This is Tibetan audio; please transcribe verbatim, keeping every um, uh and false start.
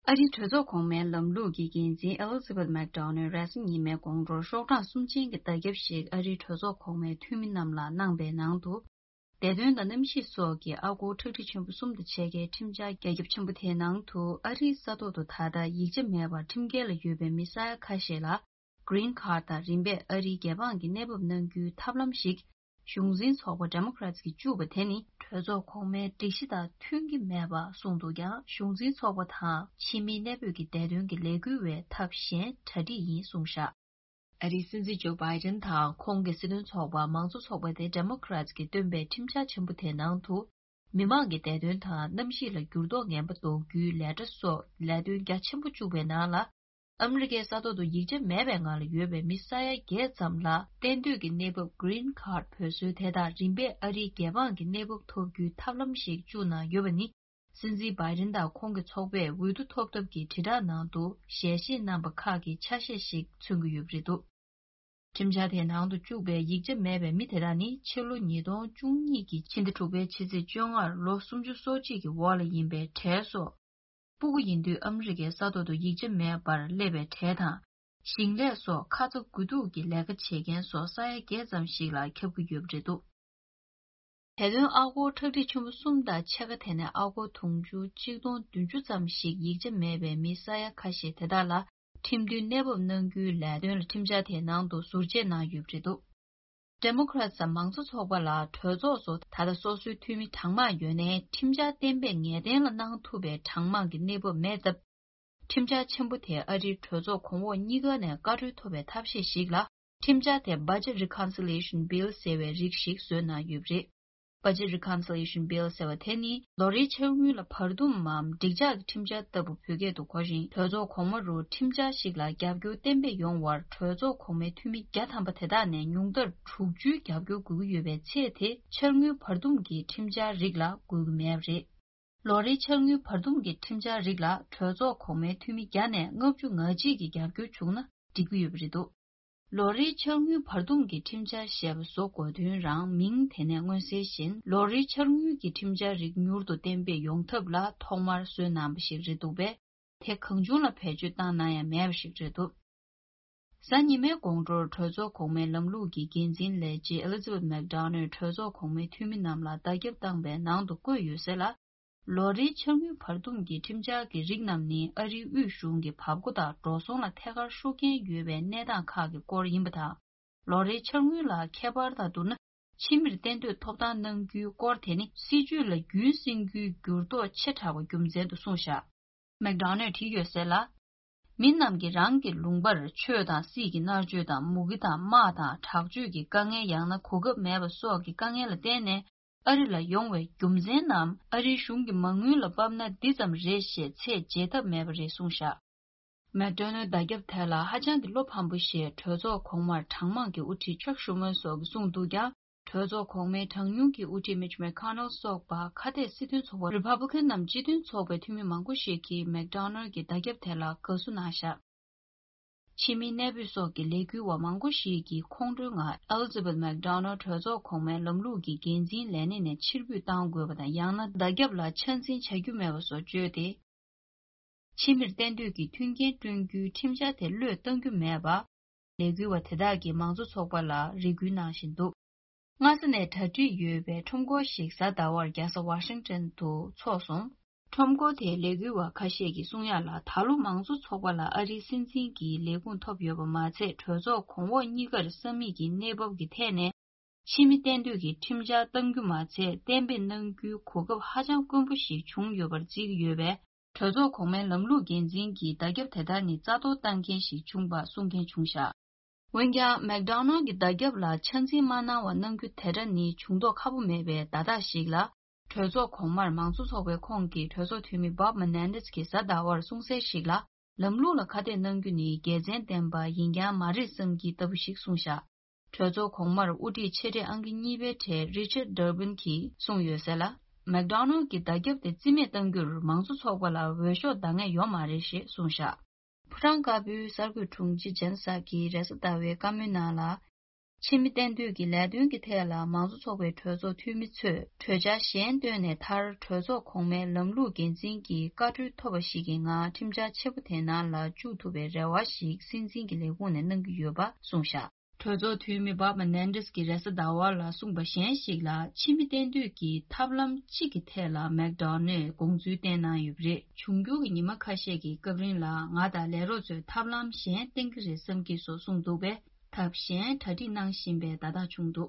ཨ་རིའི་གྲོས་ཚོགས་གོང་མའི་ལམ་ལུགས་ཀྱི་འགན་འཛིན་ཨེ་ལི་ཛ་བྷེཐ་མེག་ཌོ་ནལ་རེས་གཟའ་ཉི་མའི་དགོང་དྲོར་ཤོག་གྲངས་གསུམ་ཅན་གྱི་བརྡ་ཁྱབ་ཞིག་ཨ་རིའི་གྲོས་ཚོགས་གོང་མའི་འཐུས་མི་རྣམས་ལ་གནང་པའི་ནང་དུ། བདེ་དོན་དང་གནམ་གཤིས་སོགས་ཀྱི་ཨ་སྒོར་ཁྲག་ཁྲིག་ཆེན་པོ་གསུམ་དང་ཕྱེད་ཀའི་ཁྲིམས་འཆར་རྒྱ་ཁྱབ་ཆེན་པོ་དེའི་ནང་དུ། ཨ་རིའི་ས་ཐོག་ཏུ་ད་ལྟ་ཡིག་ཆ་མེད་པར་ཁྲིམས་འགལ་ལ་ཡོད་པའི་མི་ས་ཡ་ཁ་ཤས་ལ་Green Card དང་རིམ་པས་ཨ་རིའི་རྒྱལ་འབངས་ཀྱི་གནས་བབ་གནང་རྒྱུའི་ཐབས་ལམ་ཞིག་གཞུང་འཛིན་ཚོགས་པ་Democrats གིས་བཅུག་པ་དེ་ནི་གྲོས་ཚོགས་གོང་མའི་སྒྲིག་གཞི་དང་མཐུན་གྱི་མེད་པ་གསུངས་འདུག་ཀྱང་། གཞུང་འཛིན་ཚོགས་པ་དང་ཕྱི་མིའི་གནས་སྤོས་ཀྱི་བདེ་དོན་གྱི་ལས་འགུལ་བས་ཐབས་གཞན་གྲ་སྒྲིག་ཡིན་གསུངས་བཞག་ཨ་རིའི་སྲིད་འཛིན་ཇོ་བྷའི་ཌེན་དང་ཁོང་གི་སྲིད་དོན་ཚོགས་པ་མང་གཙོ་ཚོགས་པ་དེ་Democrats གིས་བཏོན་པའི་ཁྲིམས་འཆར་ཆེན་པོ་དེའི་ནང་དུ། མི་མང་གི་བདེ་དོན་དང་གནམ་གཤིས་ལ་འགྱུར་ལྡོག་ངན་པ་ཟློག་རྒྱུའི་ལས་གྲྭ་སོགས་ལས་དོན་རྒྱ་ཆེན་པོ་བཅུག་པའི་ནང་ལ། ཨ་མི་རི་ཀའི་ས་ཐོག་ཏུ་ཡིག་ཆ་མེད་པའི་ངང་ལ་ཡོད་པའི་མི་ས་ཡ་བརྒྱད་ཙམ་ལ་གཏན་སྡོད་ཀྱི་གནས་བབ་Green Card འབོད་སྲོལ་དེ་དང་རིམ་པས་ཨ་རིའི་རྒྱལ་འབངས་ཀྱི་གནས་བབ་ཐོབ་རྒྱུའི་ཐབས་ལམ་ཞིག་བཅུག་གནང་ཡོད་པ་ནི། སྲིད་འཛིན་བྷའི་ཌེན་དང་ཁོང་གི་ཚོགས་པས་འོས་བསྡུ་ཐོབ་ཐབས་ཀྱི་དྲིལ་བསྒྲགས་ནང་དུ་ཞལ་བཞེས་གནང་པ་ཁག་གི་ཆ་ཤས་ཤིག་མཚོན་གྱི་ཡོད་པ་རེད་འདུག་ཁྲིམས་འཆར་དེའི་ནང་དུ་བཅུག་པའི་ཡིག་ཆ་མེད་པའི་མི་དེ་དག་ནི་ཕྱི་ལོ་ཉིས་སྟོང་བཅུ་གཉིས་ཀྱི་ཕྱི་ཟླ་དྲུག་པའི་ཕྱི་ཚེས་བཅོ་ལྔར་ལོ་སུམ་ཅུ་སོ་གཅིག་གི་འོག་ལ་ཡིན་པའི་གྲས་སོགས། སྤུ་གུ་ཡིན་དུས་ཨ་མི་རི་ཀའི་ས་ཐོག་ཏུ་ཡིག་ཆ་མེད་པར་སླེབས་པའི་གྲས་དང་། ཞིང་ལས་སོགས་ཁ་ཚ་དགོས་གཏུགས་ཀྱི་ལས་ཀ་བྱེད་མཁན་སོགས་ས་ཡ་བརྒྱད་ཙམ་ཞིག་ལ་ཁྱབ་ཀྱི་ཡོད་པ་རེད་འདུག་དེ་དོན་ཨ་སྒོར་ཁྲག་ཁྲིག་ཆེན་པོ་གསུམ་དང་ཕྱེད་ཀ་དེ་ནས་ཨ་སྒོར་དུང་ཕྱུར་གཅིག་སྟོང་བདུན་ཅུ་ཙམ་ཞིག་ཡིག་ཆ་མེད་པའི་མི་ས་ཡ་ཁ་ཤས་དེ་དག་ལ་ཁྲིམས་མཐུན་གནས་བབ་གནང་རྒྱུའི་ལས་དོན་ལ་ཁྲིམས་འཆར་དེའི་ནང་དུ་ཟུར་བཅད་གནང་ཡོད་པ་རེད་འདུག Democrats དང་མང་གཙོ་ཚོགས་པ་ལ་གྲོས་ཚོགས་སུ་ད་ལྟ་སོ་སོའི་འཐུས་མི་གྲངས་མང་ཡོད་ནའི་ཁྲིམས་འཆར་གཏན་འབེབས་ངེས་གཏན་ལ་གནང་ཐུབ་པའི་གྲངས་མང་གི་གནས་བབ་མེད་སྟབས། ཁྲིམས་འཆར་ཆེན་པོ་དེ་ཨ་རིའི་གྲོས་ཚོགས་གོང་འོག་གཉིས་ཀ་ནས་བཀའ་འཁྲོལ་ཐོབ་པའི་ཐབས་ཤེས་ཤིག་ལ་ཁྲིམས་འཆར་དེ་Budget Reconciliation Bill ཟེར་བའི་རིགས་ཤིག་བཟོས་གནང་ཡོད་པ་རེད། Budget Reconciliation Bill ཟེར་བ་དེ་ནི་ལོ་རེའི་འཆར་དངུལ་ལ་བར་འདུམ་མམ་འགྲིག་འཇགས་ཀྱི་ཁྲིམས་འཆར་ལྟ་བུ་བོད་སྐད་དུ་གོ་ཞིང་། གྲོས་ཚོགས་གོང་མ་རུ་ཁྲིམས་འཆར་ཞིག་ལ་རྒྱབ་སྐྱོར་གཏན་འབེབས་ཡོང་བར་གྲོས་ཚོགས་གོང་མའི་འཐུས་མི་བརྒྱ་ཐམ་པ་དེ་དག་ནས་ཉུང་མཐར་དྲུག་ཅུའི་རྒྱབ་སྐྱོར་དགོས་ཀྱི་ཡོད་པའི་ཚེ། དེ་འཆར་དངུལ་བར་འདུམ་གྱི་ཁྲིམས་འཆར་རིགས་ལ་དགོས་ཀྱི་མེད་པ་རེད། ལོ་རེའི་འཆར་དངུལ་བར་འདུམ་གྱི་ཁྲིམས་འཆར་རིགས་ལ་གྲོས་ཚོགས་གོང་མའི་འཐུས་མི་བརྒྱ་ནས་ལྔ་བཅུ་ང་གཅིག་གི་རྒྱབ་སྐྱོར་བྱུང་ན་འགྲིག་གི་ཡོད་པ་རེད་འདུག་ལོ་རེའི་འཆར་དངུལ་བར་འདུམ་གྱི་ཁྲིམས་འཆར་ཞེས་པ་བཟོ་དགོས་དོན་རང་མིང་དེ་ནས་མངོན་གསལ་བཞིན། ལོ་རེའི་འཆར་དངུལ་གྱི་ཁྲིམས་འཆར་རིགས་མྱུར་དུ་གཏན་འབེབས་ཡོང་ཐབས་ལ་ཐོག་མར་བཟོས་གནང་བ་ཞིག་རེད་འདུག་པས། དེ་གང་བྱུང་ལ་བེད་སྤྱོད་བཏང་གནང་ཡ་མེད་པ་ཞིག་རེད་འདུག་གཟའ་ཉི་མའི་དགོང་དྲོར་གྲོས་ཚོགས་གོང་མའི་ལམ་ལུགས་ཀྱི་འགན་འཛིན་ལས་བྱེད་Elizabeth McDonald གྲོས་ཚོགས་གོང་མའི་འཐུས་མི་རྣམས་ལ་བརྡ་ཁྱབ་བཏང་པའི་ནང་དུ་བཀོད་ཡོད་གསལ་ལ། ལོ་རེའི་འཆར་དངུལ་བར་འདུམ་གྱི་ཁྲིམས་འཆར་གྱི་རིགས་རྣམས་ནི་ཨ་རིའི་དབུས་གཞུང་གི་བབ་སྒོ་དང་འགྲོ་སོང་ལ་ཐད་ཀར་ཤུགས་རྐྱེན་ཡོད་པའི་གནས་སྟངས་ཁག་གི་སྐོར་ཡིན་པ་དང་། ལོ་རེའི་འཆར་དངུལ་ལ་ཁྱད་པར་དང་བསྡུར་ན། ཕྱི་མིར་གཏན་སྡོད་ཐོབ་ཐང་གནང་རྒྱུའི་སྐོར་དེ་ནི་སྲིད་ཇུས་ལ་རྒྱུན་བསྲིང་རྒྱུའི་འགྱུར་ལྡོག་ཆེ་དྲགས་པ་རྒྱུ་མཚན་དུ་གསུངས་བཞག McDonald བྲིས་ཡོད་གསལ་ལ། མི་རྣམས་ཀྱིས་རང་གི་ལུང་པར་ཆོས་དང་སྲིད་ཀྱི་མནར་གཅོད་དང་། མུ་གེ་དང་། དམག་དང་། དྲག་སྤྱོད་ཀྱི་དཀའ་ངལ། ཡང་ན་གོ་སྐབས་མེད་པ་སོགས་ཀྱི་དཀའ་ངལ་ལ་བརྟེན་ནས་ཨ་རི་ལ་ཡོང་བའི་རྒྱུ་མཚན་རྣམས་ཨ་རིའི་གཞུང་གི་མ་དངུལ་ལ་དཔག་ན་འདི་ཙམ་རེད་ཞེས་ཚད་འཇལ་ཐབས་མེད་པ་རེད་གསུངས་བཞག་མེག་ཌོ་ནལ་བརྡ་ཁྱབ་དེ་ལ་ཧ་ཅང་གི་བློ་ཕམ་པོ་ཞེས་གྲོས་ཚོགས་གོང་མར་གྲངས་མང་གི་དབུ་ཁྲིད་ཅག་ཤུ་མར་སོགས་ཀྱིས་གསུངས་འདུག་ཀྱང་། གྲོས་ཚོགས་གོང་མའི་གྲངས་ཉུང་གི་དབུ་ཁྲིད་མིཆ་མེག་ཁོ་ནལ་སོགས་པ་ཁ་གཏད་སྲིད་དོན་ཚོགས་པ་རི་པབ་ལི་ཀན་ནམ་སྤྱི་མཐུན་ཚོགས་པའི་འཐུས་མི་མང་པོ་ཞིག་གིས་མེག་ཌོ་ནལ་གྱི་བརྡ་ཁྱབ་དེ་ལ་དགའ་བསུ་གནང་བཞག་ཕྱི་མིའི་གནས་སྤོས་སོགས་ཀྱི་ལས་འགུལ་བ་མང་པོ་ཞིག་གིས་ཁོང་ཁྲོའི་ངང་ཨེ་ལི་ཛ་བེད་མེག་ཌོ་ནལ་གྲོས་ཚོགས་གོང་མའི་ལམ་ལུགས་ཀྱི་འགན་འཛིན་ལས་གནས་ནས་ཕྱིར་འབུད་གཏང་དགོས་པ་དང་། ཡང་ན་བརྡ་ཁྱབ་ལ་ཆ་འཛིན་བྱ་རྒྱུ་མེད་པ་སོགས་བརྗོད་དེ། ཕྱི་མིར་གཏན་སྡོད་ཀྱི་མཐུན་རྐྱེན་བསྐྲུན་རྒྱུའི་ཁྲིམས་འཆར་དེ་བློས་གཏང་རྒྱུ་མེད་པ། ལས་འགུལ་བ་དེ་དག་གིས་མང་གཙོ་ཚོགས་པ་ལ་རེ་སྐུལ་གནང་བཞིན་འདུག་སྔ་ས་ནས་གྲ་སྒྲིག་ཡོད་པའི་ཁྲོམ་སྐོར་ཞིག་གཟའ་ཟླ་བར་རྒྱལ་ས་ཝ་ཤིང་ཊོན་དུ་འཚོགས་སོང་། ཁྲོམ་སྐོར་དེའི་ལས་འགུལ་བ་ཁ་ཤས་ཀྱིས་གསུང་ཡག་ལ། ད་ལོ་མང་གཙོ་ཚོགས་པ་ལ་ཨ་རིའི་སྲིད་འཛིན་གྱི་ལས་ཁུངས་ཐོབ་ཡོད་པ་མ་ཚད། གྲོས་ཚོགས་གོང་འོག་གཉིས་ཀར་ས་མིག་གི་གནས་བབ་ཀྱི་ཐད་ནས་ཕྱི་མི་གཏན་སྡོད་ཀྱི་ཁྲིམས་འཆར་གཏང་རྒྱུ་མ་ཚད། གཏན་འབེབས་གནང་རྒྱུའི་གོ་སྐབས་ཧ་ཅང་དཀོན་པོ་ཞིག་བྱུང་ཡོད་པར་བརྩི་གི་ཡོད་པས། གྲོས་ཚོགས་གོང་མའི་ལམ་ལུགས་འགན་འཛིན་གྱིས་བརྡ་ཁྱབ་དེ་ལྟར་ནི་རྩ་གཏོར་བཏང་མཁན་ཞིག་བྱུང་པ་གསུང་མཁན་བྱུང་བཞག་འོན་ཀྱང་། མེག་ཌོ་ནལ་གྱི་བརྡ་ཁྱབ་ལ་ཆ་འཛིན་མ་གནང་བ་གནང་རྒྱུ་དེ་འདྲ་ནི་བྱུང་མདོག་ཁ་པོ་མེད་པའི་བརྡ་རྟགས་ཤིག་ལ། གྲོས་ཚོགས་གོང་མར་མང་གཙོ་ཚོགས་པའི་ཁོངས་ཀྱི་གྲོས་ཚོགས་འཐུས་མི་Bob Menendez གྱིས་གཟའ་ཟླ་བར་གསུང་གསལ་ཞིག་ལ། ལམ་ལུགས་ལ་ཁ་གཏད་གནང་རྒྱུ་ནི་དགེ་མཚན་ལྡན་པ་ཡིན་རྐྱང་མ་རེད་བསམ་གྱི་ལྟ་བུ་ཞིག་གསུངས་བཞག་གྲོས་ཚོགས་གོང་མར་དབུ་ཁྲིད་ཆེ་གྲས་ཨང་ཀི་གཉིས་པའི་གྲས་Richard Durbin གྱིས་གསུངས་ཡོད་གསལ་ལ། མེག་ཌོ་ནལ་གྱི་བརྡ་ཁྱབ་དེ་རྩིས་མེད་གཏང་རྒྱུར་མང་གཙོ་ཚོགས་པ་ལ་འོས་ཤོག་འདང་ངེས་ཡོད་མ་རེད་ཞེས་གསུངས་བཞག་ཕོ་བྲང་དཀར་པོའི་གསར་འགོད་དྲུང་ཆེ་ཇན་སཱ་ཀིས་རེས་གཟའ་ཟླ་བའི་བཀའ་མོལ་ནང་ལ། ཕྱི་མི་གཏན་སྡོད་ཀྱི་ལས་དོན་གྱི་ཐད་ལ་མང་གཙོ་ཚོགས་པའི་གྲོས་ཚོགས་འཐུས་མི་ཚོས་གྲོས་འཆར་གཞན་བཏོན་ནས། མཐར་གྲོས་ཚོགས་གོང་མའི་ལམ་ལུགས་འགན་འཛིན་གྱི་བཀའ་འཁྲོལ་ཐོབ་པ་ཞིག་གི་ངང་ཁྲིམས་འཆར་ཆེན་པོ་དེའི་ནང་ལ་བཅུག་ཐུབ་པའི་རེ་བ་ཞིག་སྲིད་འཛིན་གྱི་ལས་ཁུངས་ནས་གནང་གི་ཡོད་པ་གསུངས་བཞག་གྲོས་ཚོགས་འཐུས་མི་བྷབ་མ་ནན་ཌེས་ཀྱིས་རེས་གཟའ་ཟླ་བ་ལ་གསུངས་པ་གཞན་ཞིག་ལ། ཕྱི་མི་གཏན་སྡོད་ཀྱི་ཐབས་ལམ་གཅིག་གི་ཐད་ལ་མེག་ཌོ་ནལ་དགོངས་ཚུལ་བསྟན་གནང་ཡོད་པ་རེད། འབྱུང་འགྱུར་གྱི་ཉི་མ་ཁ་ཤས་ཀྱི་སྐབས་རིང་ལ་ང་དང་ལས་རོགས་ཚོས་ཐབས་ལམ་གཞན་བསྟེན་གྱི་རེད་བསམ་གྱི་སོགས་གསུངས་འདུག་པས། ཐབས་གཞན་གྲ་སྒྲིག་གནང་བཞིན་པའི་བརྡ་རྟགས་བྱུང་འདུག